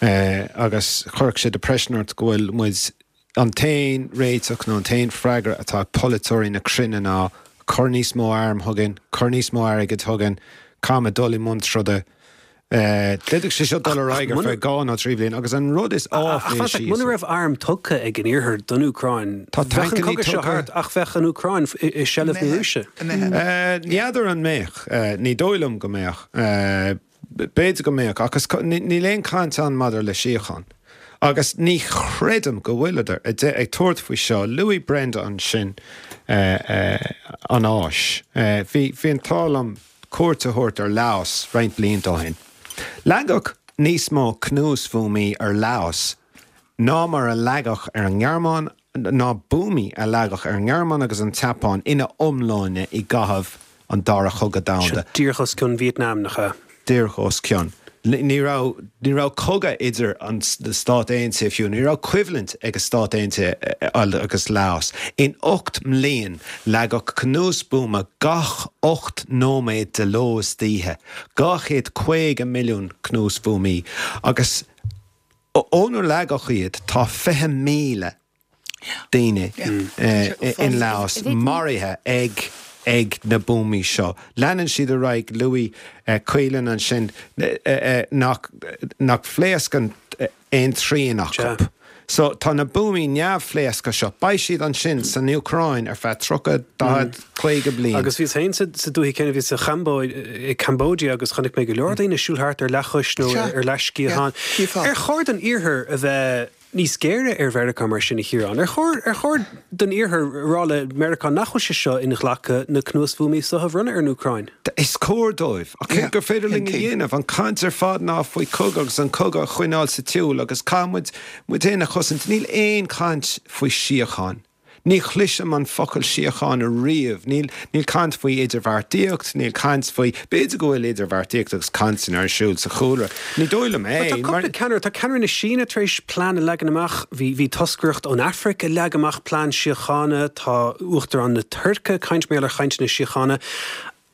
Agus chuirfeadh sé depression ort go bhfuil muid, an t-aon réiteach nó an t-aon freagra atá ag polaiteoirí na cruinne ná cuir níos mó arm chugainn, cuir níos mó airgid chugainn, caithfimid dul i mbun troda. D'fhéadfadh sé seo dul ar aghaidh ar feadh dhá nó trí bhliain agus an rud is áiféisí. Ach muna raibh airm tugtha ag an Iarthar don Úcráin, bheadh an cogadh seo thart ach bheadh an Úcráin i seilbh na Rúise. N'fheadar an mbeadh. Ní dóigh liom go mbeadh. B'fhéidir go mbeadh ach níl aon chaint ann maidir le síocháin. Agus ní chreidim go bhfuileadar ag tabhairt faoi seo. Luaigh Brenda ansin an Áis. Bhí an t-ádh liom cuairt a thabhairt ar Laos roinnt blianta ó shin. Leagadh níos mó cnuasbhuamaí ar Laos ná mar a leagadh ar an nGearmáin, ná buamaí a leagadh ar an nGearmáin agus an tSeapáin ina iomláine i gcaitheamh an Dara Chogadh Domhanda. Seo díreach os cionn Vítneam, nach ea? Díreach os cionn. Ní raibh, ní raibh cogadh idir an, na Stáit Aontaithe fiú, ní raibh coimhlint ag na Stáit Aontaithe agus Laos. In ocht mbliain leagadh cnuasbhuama gach ocht nóiméad de ló is d'oíche, dhá chéad caoga milliún cnuasbhuamaí, agus ónar leagadh iad tá fiche míle daoine in Laos maraithe ag ag na buamaí seo. Leanann siad ar aghaidh, luaigh Caolan ansin nach nach phléascann aon trian acu. So tá na buamaí neamhphléasctha seo, beidh siad ansin san Úcráin ar feadh tríocha, daichead, caoga bliain. Agus bhíos féin sa dúiche céanna, bhíos sa Chambóid, i Cambodia agus chonaic mé go leor daoine ag siúl thart ar leathchois nó ar leathsciathán. Ar chóir don Iarthar a bheith níos géire ar Mheiriceá mar sin, a Chiaráin? Ar chóir, ar chóir don Iarthar a rá le Meiriceá nach bhfuil sé seo inghlactha na cnuasbhuamaí seo a bhronnadh ar an Úcráin? Is cóir dóibh. Ach céard gur féidir linn a dhéanamh? An chaint ar fad ná faoi chogadh agus an cogadh a choinneáil sa tsiúl agus caithfidh muid muid féin a chosaint. Níl aon chaint faoi síocháin. Ní chloisim an focal síocháin ariamh. Níl níl caint faoi idirbheartaíocht, níl caint faoi, b'fhéidir go bhfuil idirbheartaíocht agus cainteanna ar siúl sa chúlra. Ní dóigh liom é. Tá cúpla ceannaire, tá ceannaire na Síne tar éis plean a leagan amach, bhí bhí toscaireacht ón Afraic ag leagan amach plean síochána, tá Uachtarán na Tuirce ag caint mar gheall ar chainteanna síochána.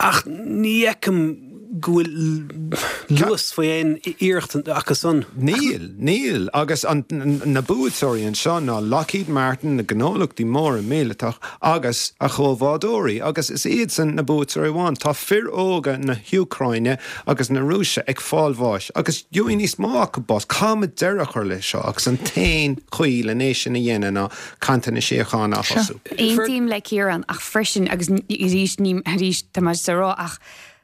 Ach ní fheicim go bhfuil luas faoi aon iarracht acu san. Níl, níl. Agus na buaiteoirí anseo ná Lockheed Martin, na gnólachtaí móra míleatach agus a chomhbhádóirí. Agus is iadsan na buaiteoirí amháin. Tá fir óga na hÚcráine agus na Rúise ag fáil bháis agus gheobhaidh níos mó acu bás. Caithfimid deireadh a chur leis seo agus an t-aon chaoi len é sin a dhéanamh ná cainteanna síochána a thosú. Aontaím le Ciarán ach freisin, agus arís ní, arís tá mé just ag rá ach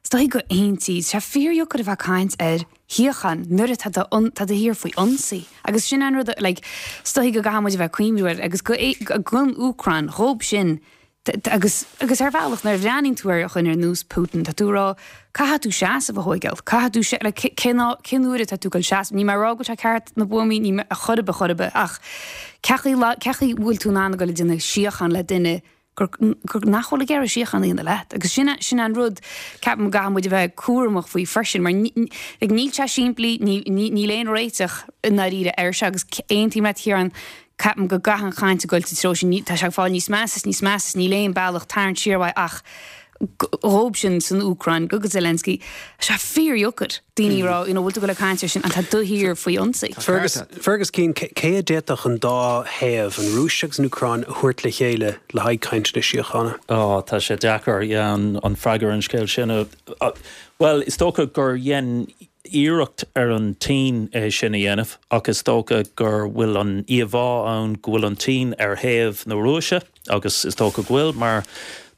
is dóigh go aontaí, tá sé fíordheacair a bheith ag caint ar shíocháin nuair atá do tá do thír faoi ionsaí agus sin an rud like is dóigh go gcaithfidh muid a bheith ag cuimhniú air agus go don Úcráin dhóibh sin agus agus ar bhealach nuair a bhreathnaíonn tú ar dhuine ar nós Putin tá tú ag rá caithfidh tú seasamh a thóigeáil, caithfidh tú se like cén cén uair atá tú ag dul seasamh, níl mé ag rá go bhfuil sé ceart na buamaí ní a chor ar bith chor ar bith ach cé chaoi cé chaoi bhfuil tú in ann a ghoil ag déanamh síocháin le duine gur gur nach bhfuil ag iarraidh síocháin a dhéanamh leat agus sin sin an rud ceapaim go gcaithfidh muid a bheith cúramach faoi freisin mar ní like níl sé simplí ní ní níl aon réiteach i ndáiríre air seo agus aontaím leat Ciarán ceapaim go gcaithfidh an chaint a ghoil sa treo sin tá sé ag fáil níos measa is níos measa is níl aon bealach tarraingt siar uaidh ach dhóibh sin san Úcráin go go Zelensky tá sé fíordheacair daoine a rá you know bhfuil tú ag goil ag caint air sin an tá do thír faoi ionsaí. Fergus Fergus Keane cé a d'fhéadfadh an dá thaobh an Rúis agus an Úcráin a thabhairt le chéile le haghaidh cainteanna síochána? Ó tá sé deacair yeah an an freagra an scéal sin a bhuel is dócha gur dhein iarracht ar an tSín é sin a dhéanamh ach is dócha gur bhfuil an íomhá ann go bhfuil an tSín ar thaobh na Rúise agus is dócha go bhfuil mar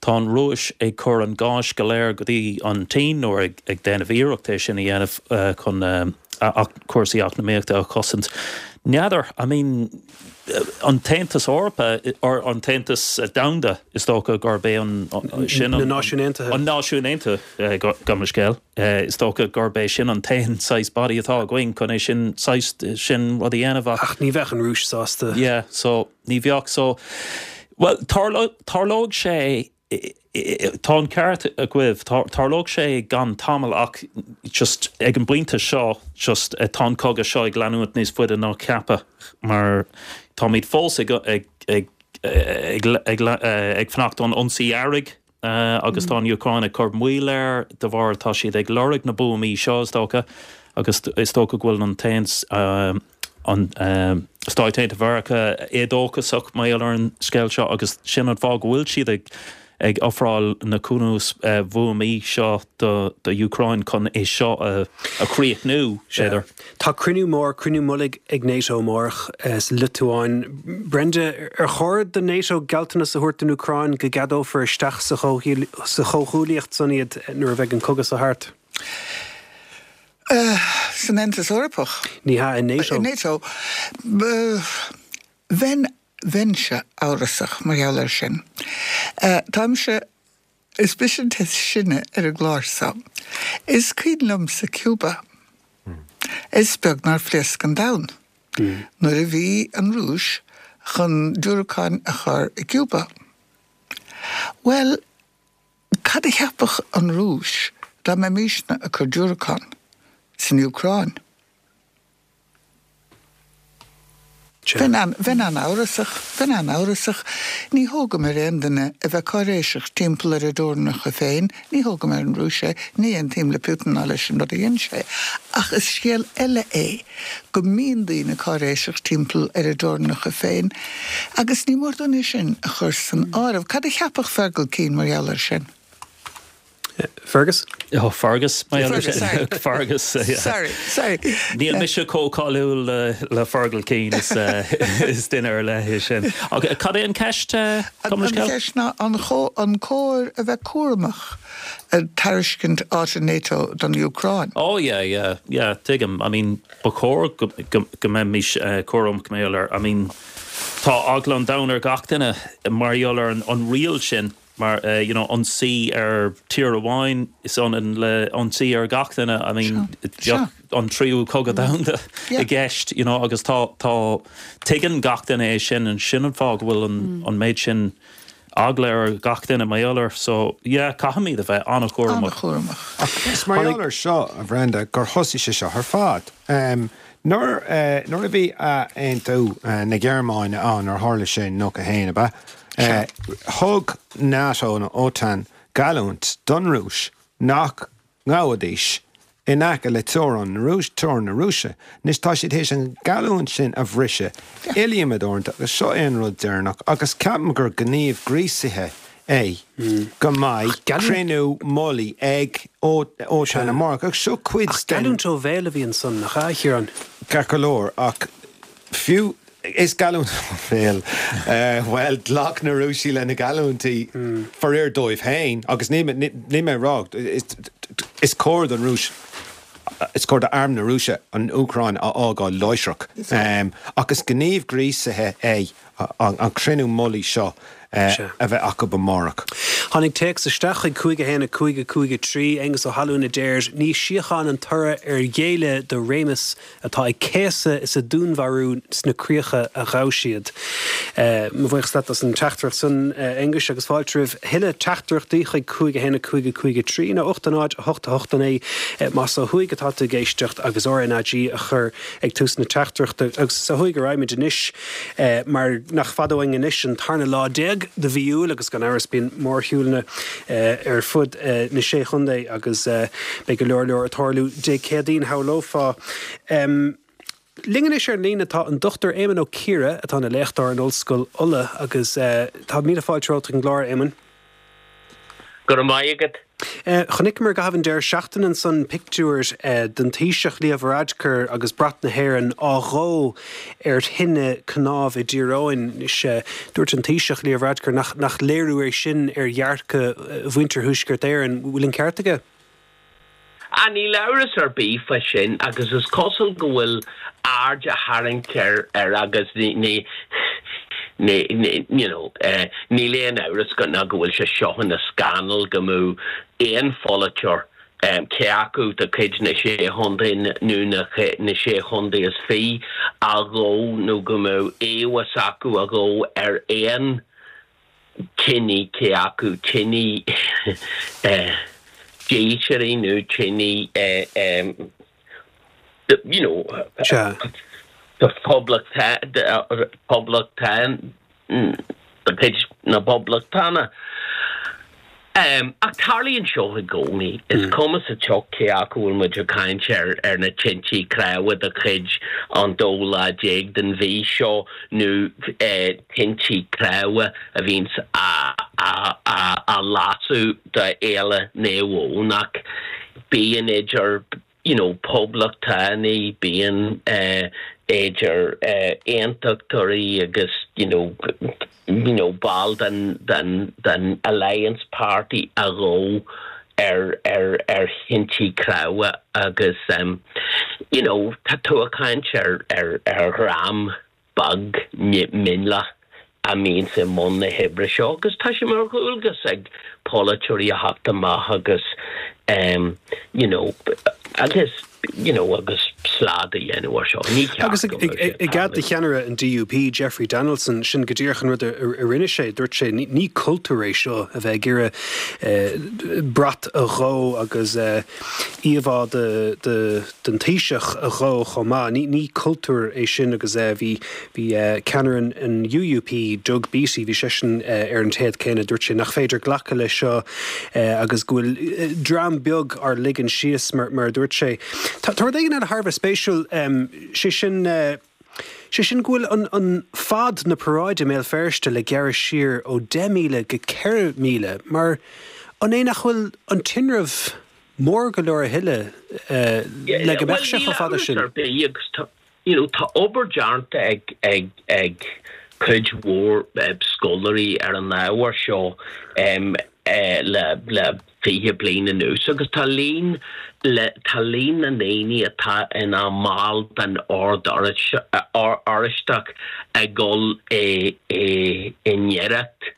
tá an Rúis ag cur an gáis go léir go dtí an tSín nó ag ag déanamh iarracht é sin a dhéanamh uh, chun uh, cúrsaí eacnamaíochta a chosaint. N'fheadar, I mean, an tAontas Eorpach or an tAontas Domhanda is dócha gurb é an sin Na Náisiúin Aontaithe. An Náisiúin Aontaithe gabh mo leithscéal. Is dócha gurb é sin an t-aon saghas body atá againn chun é sin saghas sin rud a dhéanamh ach. Ach ní bheadh an Rúis sásta. Yeah, so ní bheadh so well tarlóidh sé Tá an ceart agaibh, tarlóidh sé gan tamall ach just ag an bpointe seo just tá an cogadh seo ag leanúint níos faide ná ceapadh mar táimid fós ag ag ag ag ag ag fanacht don ionsaí earraigh agus tá an Úcráin ag cur moill air de bharr tá siad ag lorg na buamaí seo is dócha agus is dócha go bhfuil an t-aon an Stáit Aontaithe Mheiriceá éadóchasach mar gheall ar an scéal seo agus sin an fáth go bhfuil siad ag ag ofráil na cnuas-bhuamaí seo do do Úcráin chun é seo a a chríochnú, b'fhéidir. Tá cruinniú mór, cruinniú mullaigh ag NATO amárach sa Liotuáin. Brenda, ar chóir do NATO gealltanas a thabhairt don Úcráin go gceadófar isteach sa sa chomhghuaillíocht san iad nuair a bheidh an cogadh seo thart? San Aontas Eorpach? Ní hea, i NATO. I NATO. Bheinn Bheinnse amhrasach mar gheall air sin. Táimse, is mise an té is sine ar an gclár seo. Is cuimhin liomsa Cuba. Is beag nár phléasc an domhan nuair a bhí an Rúis chun diúracáin a chur i gCuba. Bhuel, cad a cheapfadh an Rúis dá mbeimisne ag cur diúracán san Úcráin? Bheinn an-amhrasach, bheinn an-amhrasach. Ní thógaim ar aon duine a bheith cáiréiseach timpeall ar a dteorainneacha féin, ní thógaim ar an Rúis é, ní aontaím le Putin ná leis an rud a dhein sé, ach is scéal eile é go mbíonn daoine cáiréiseach timpeall ar a dteorainneacha féin agus ní mór dúinn é sin a chur san áireamh. Cad a cheapfadh Fergal Keane mar gheall air sin? Fergus? Oh, Fergus. Fergus, sorry. Fergus, yeah. Sorry, sorry. Níl mise chomh cáiliúil le, le Fergal Keane, is, uh, is duine ar leith é sin. Ach cad é an ceist, uh, An, an ceist ná an, an cóir a bheith cúramach ag tairiscint áit i NATO don Úcráin? Oh yeah, yeah, yeah, tuigim. I mean, ba chóir go, go, go mbeimis uh, cúramach mar gheall air. I mean, tá eagla an domhain ar gach duine mar gheall ar an, an riail sin. Mar you know ionsaí ar tír amháin is ionann le ionsaí ar gach duine, I mean bheadh an tríú cogadh domhanda i gceist you know agus tá tá tuigeann gach duine é sin and sin an fáth go bhfuil an an méid sin eagla ar gach duine mar gheall air so yeah caithfimid a bheith an-chúramach. An-chúramach. Ach is mar gheall air seo a Bhrenda gur thosaigh sé seo ar fad. Nuair nuair a bhí athaontú na Gearmáine ann nuair a tharla sé in nócha haon ab ea? Thug NATO nó OTAN geallúint don Rúis nach ngabhfaidís in aice le teorainn na Rúis, teorainn na Rúise. Anois tá siad théis an gheallúint sin a bhriseadh iliomad uaireanta agus seo é an rud deireanach agus ceapaim gur gníomh gríosaithe é go mbeidh cruinniú mullaigh ag OTAN amárach agus seo cuid den. Ach geallúint ó bhéal a bhí ansan, nach ea, a Chiaráin? Ceart go leor, ach fiú Is geallúint ó bhéal. Bhuel, ghlac na Rúisigh le na geallúintí, faraor dóibh féin, agus níl mé ag rá, is cóir don Rúis, is cóir d'arm na Rúise an Úcráin a fhágáil láithreach. Ach is gníomh gríosaithe é an cruinniú mullaigh seo a bheith acu amárach. Tháinig téacs isteach chuig cúig a haon a cúig a cúig a trí, Aengus Ó hAlmhain a deir, Ní síocháin an toradh ar ghéilleadh do réimeas atá ag céasadh is ag dúnmharú sna críocha a ghabh siad. Mo bhuíochas leat as an teachtaireacht san, a Aonghuis, agus fáilte roimh thuilleadh teachtaireachtaí chuig cúig a haon a cúig a cúig a trí nó ocht a náid a hocht a hocht a naoi más ó thuaidh atá tú ag éisteacht agus RnaG a chur ag tús na teachtaireachta. Agus ó thuaidh a raghaimid anois mar nach fada uainn anois an tarna lá déag de mhí Iúil agus gan amhras bíonn mórshiúlanna ar fud na Sé Chontae agus beidh go leor leor ag tarlú Dé Céadaoin, shamhlófá. Linn anois ar an líne tá an Dochtúir Éamonn Ó Ciardha atá ina léachtóir in Ollscoil Uladh agus tá míle fáilte romhat chuig an gclár, a Éamoinn. Go raibh maith agat. Chonaiceamar i gcaitheamh an deireadh seachtaine ansan pictiúir den Taoiseach Leo Varadkar agus brat na hÉireann á dhó ar thine cnámh i dTír Eoghain. Anois, dúirt an Taoiseach Leo Varadkar nach nach léiriú é sin ar dhearcadh mhuintir Thuaisceart Éireann. Bhfuil an ceart aige? Ah, níl amhras ar bith fá sin agus is cosúil go bhfuil aird á tharraingt air ar agus ní, ní, ní, ní, you know, eh, níl aon amhras go, ná go bhfuil sé seo ina scannal go mbeadh aon pholaiteoir, eh, cé acu de chuid na Sé Chontae nó na, na Sé Chontae is Fiche á dhó nó go mbeadh íomhá s'acu á dhó ar aon tine cé acu tine Díseart nó tine you know the Poblachtán de chuid na Poblachtánach. Um, ach tarlaíonn seo i gcónaí is mm. cuma sa tsioc cé acu bhfuil muid ag caint ar ar na tintí cnámha de chuid an dóú lá déag den mhí seo nó eh, tintí cnámha a bhíonn á, á, á, á lasadh do Fhéile Naomh Eoin ach bíonn idir you know, poblachtánaigh bíonn uh, idir uh, aontachtóirí agus you know, you know, ball den, den, den Alliance Party a dhó ar ar ar thintí cnámha agus um, you know, tá tú ag caint ar ar ar dhream beag mionlach a mbíonn i mbun na hoibre seo agus tá sé mar dhualgas ag polaiteoirí a theacht amach agus um, you know, agus you know, agus slad a dhéanamh ar seo. Ní ceart Agus go mbeadh sé i gcead do cheannaire an DUP Jeffrey Donaldson sin go díreach an rud a a rinne sé dúirt sé ní ní cultúr é seo a bheith ag iarraidh eh, brat a dhó agus eh, íomhá de, de, den Taoiseach a dhó chomh maith. Ní, ní cultúr é sin agus eh, bhí bhí eh, ceannaire an, an UUP Doug Beattie bhí seisean eh, ar an téad céanna dúirt sé nach féidir glacadh le seo eh, agus go bhfuil eh, dream beag ar ligean síos mar, mar a dúirt sé. Tá rud éigin eile thar a bheith spéisiúil um, sé sin uh, sé sin go bhfuil an, an fad na paráide i mBéal Feirste le gearradh siar ó deich míle go ceithre míle, mar an é nach bhfuil an tinreamh mór go leor a thuilleadh uh, le go mbeadh sé chomh fada sin. You know, tá obair déanta ag ag ag cuid mhór eh, scoláirí ar an ábhar seo um, eh, le le fiche bliain anuas agus tá líon le tá líon na ndaoine atá ina mball den Ord Oráisteach ag dul i i i ngiorracht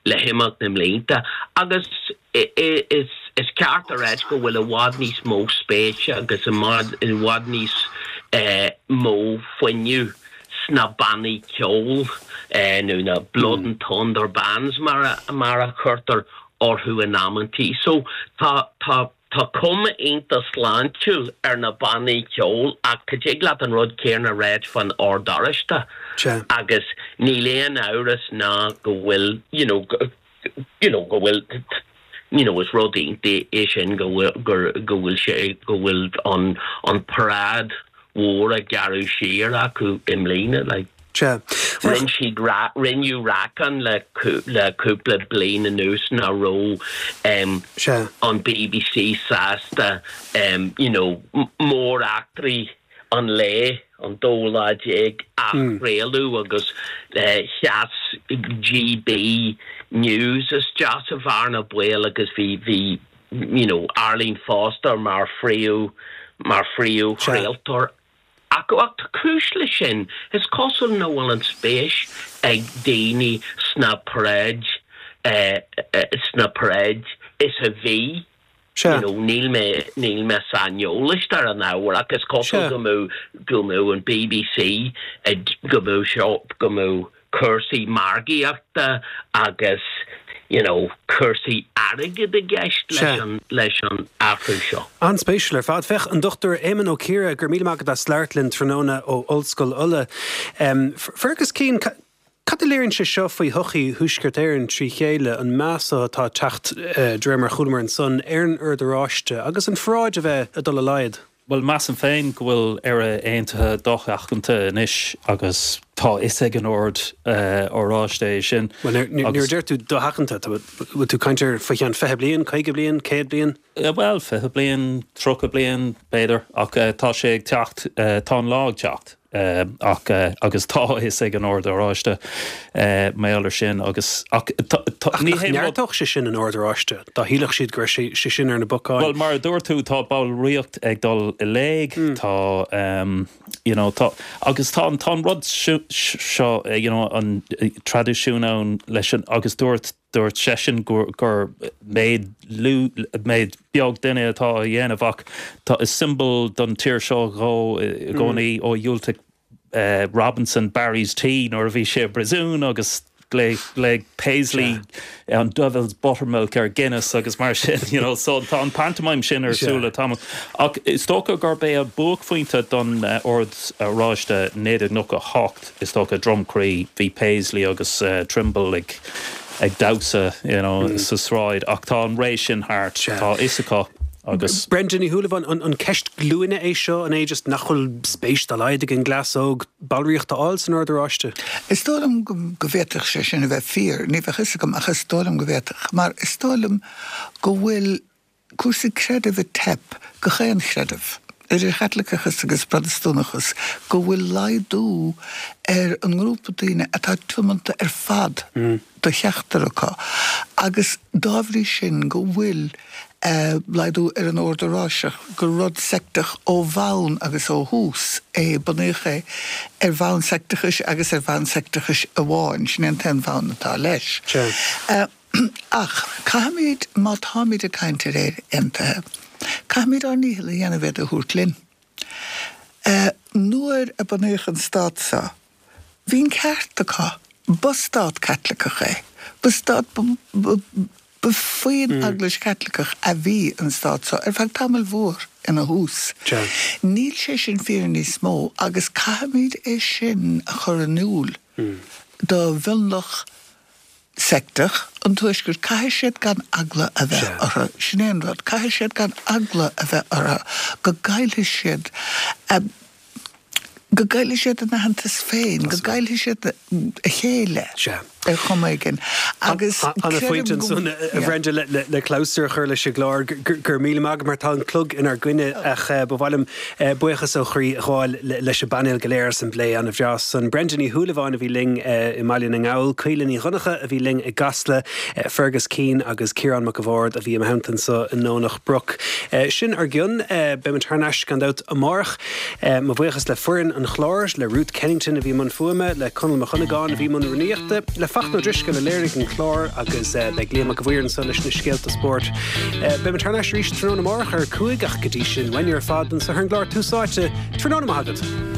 le himeacht na mblianta agus is is ceart a rá go bhfuil i bhfad níos mó spéise agus i bhfad níos eh, mó fuinneamh sna bannaí ceoil eh, nó na Blood and Thunder bands mar a, mar a chuirtear orthu in amantaí. So tá tá tá cuma iontach sláintiúil ar na bannaí ceoil ach tig leat an rud céanna a rá faoin Ord Oráisteach agus níl aon amhras ná go bhfuil you know, go, you know, go bhfuil you know, is rud iontach é sin go bhfuil go bhfuil sé go bhfuil an an paráid mhór á gearradh siar acu i mbliana like, Sea. Rinne siad rinneadh racán le le cúpla bliain anuas nach raibh um, an BBC sásta um, you know, móreachtraí an lae an dóú lá déag a mm. chraoladh agus uh, sheas GB News isteach sa bhearna bhaoil agus bhí bhí you know, Arlene Foster mar phríomh mar phríomhchraoltóir Ach ach tá cúis le sin is cosúil nach bhfuil an spéis ag daoine sna paráid eh, eh, sna paráid is a bhí You know, níl mé níl mé saineolach ar an ábhar ach is cosúil go mbeadh go mbeadh an BBC go mbeadh seo go mbeadh cúrsaí margaíochta agus you know, cúrsaí airgid i gceist leis an leis an athrú seo. An-spéisiúil ar fad féach an Dr Éamon Ó Ciardha gur míle maith agat as labhairt linn tráthnóna ó Ollscoil Uladh. Um, Fergus Keane Cad a léiríonn sé seo faoi shochaí Thuaisceart Éireann trí chéile an meas atá ag teacht uh, de réir mar a chualamar ansan ar an Ord Oráiste agus an pharáid a bheith ag dul i laghad. Well measaim féin go bhfuil Éire Aontaithe dosheachanta anois agus tá a fhios ag an Ord uh, Oráiste é sin. Well nuair deir tú dosheachanta bhfuil tú ag caint ar faoi cheann fiche bliain, caoga bliain, céad bliain? Uh, well fiche bliain, tríocha bliain b'fhéidir ach uh, tá sé ag teacht uh, tá an lá ag teacht. Uh, ach uh, agus tá a fhios ag an Ord Oráiste uh, méir sin agus ach, ní neartódh sé sin an Ord Oráiste dá shílfeadh siad gur sé sé sin ar na bacáin. Well mar a dúirt tú tá ballraíocht ag dul i léig mm. tá um, you know, tá agus tá an tá rud seo you know, an traidisiún ann leis an agus dúirt dúirt seisean gur gur méid lú méid beag duine atá á dhéanamh ach tá is siombail don tír seo dhó i gcónaí mm. ó dhiúltaigh uh, Robinson Barry's Tea nuair a bhí sé i bpríosún agus Glaoigh Paisley an Devil's Buttermilk ar Guinness agus mar sin you know, so tá an pantomime sin ar siúl le tamall. Ach is dócha gurb é an buaicphointe don uh, Ord Oráiste naoi déag nócha hocht is dócha Drumcree bhí Paisley agus uh, Trimble ag ag damhsa you know, mm. sa sráid ach tá an ré sin thart tá fhios acu agus Brenda Ní Shúilleabháin an, an ceist glúine é seo an é just nach bhfuil spéis dá laghad ag an gcleas óg ballraíocht a fháil san Ord Oráiste. Is dóigh liom go go bhféadfadh sé sin a bheith fíor, ní bheadh fhios agam ach is dóigh liom go bhféadfadh, mar is dóigh liom go bhfuil cúrsaí creidimh ag teip go chaon chreideamh, idir Chaitliceachas agus Protastúnachas, go bhfuil laghdú ar an ngrúpa daoine atá tiomanta ar fad do cheachtar acu, agus dá bhrí sin go bhfuil laghdú ar an Ord Oráisteach, gur rud seicteach ó bhonn agus ó thús é, bunaíodh é ar bhonn seicteachais agus ar bhonn seicteachais amháin, sin é an t-aon bhonn atá leis. Ach caithfimid, má táimid ag caint ar Éire Aontaithe, caithfimid ár ndícheall a dhéanamh iad a thabhairt linn. Nuair a bunaíodh an stát seo, bhí an ceart acu, ba stát Caitliceach é, ba stát, ba faoin Eaglais Chaitliceach a bhí an stát seo ar feadh tamaill mhór ina thús. Níl sé sin fíor níos mó agus caithfimid é sin a chur in iúl do mhionlach seicteach an Tuaiscirt. Caithfidh siad gan eagla a bheith orthu. Sin é an rud. Caithfidh siad gan eagla a bheith orthu go gcaillfidh siad go gcaillfidh siad a n-aitheantas féin, go gcaillfidh siad a chéile ar chuma éigin. Agus An-phointe ansan, a Bhrenda, le clabhsúr a chur leis an gclár, go raibh míle maith agat mar tá an clog inár gcoinne ach ba mhaith liom buíochas ó chroí a ghabháil leis an bpainéal go léir as an bplé an-bhreá san. Brenda Ní Shúilleabháin a bhí linn i mBaile na nGall, Caoile Ní Dhonncha a bhí linn i gCasla, Fergus Keane agus Ciarán Mac a' Bhaird a bhí i mo theannta anso i nDomhnach Broc. Sin ár gcionn. Beimid thar n-ais gan dabht amárach. Mo bhuíochas le foireann an chláir, le Ruth Kennington a bhí i mbun fuaime, le Conall Mac Dhonnagáin a bhí i mbun rúnaíochta, le Fachtna Ó Drisceoil a léirigh an clár agus beidh Liam Mac a' Mhaoir anso leis na scéalta spóirt. Beimid thar n-ais arís tráthnóna amárach ar a cúig ach go dtí sin, uainne ar fad anso ar an gclár Tús Áite, tráthnóna maith agat.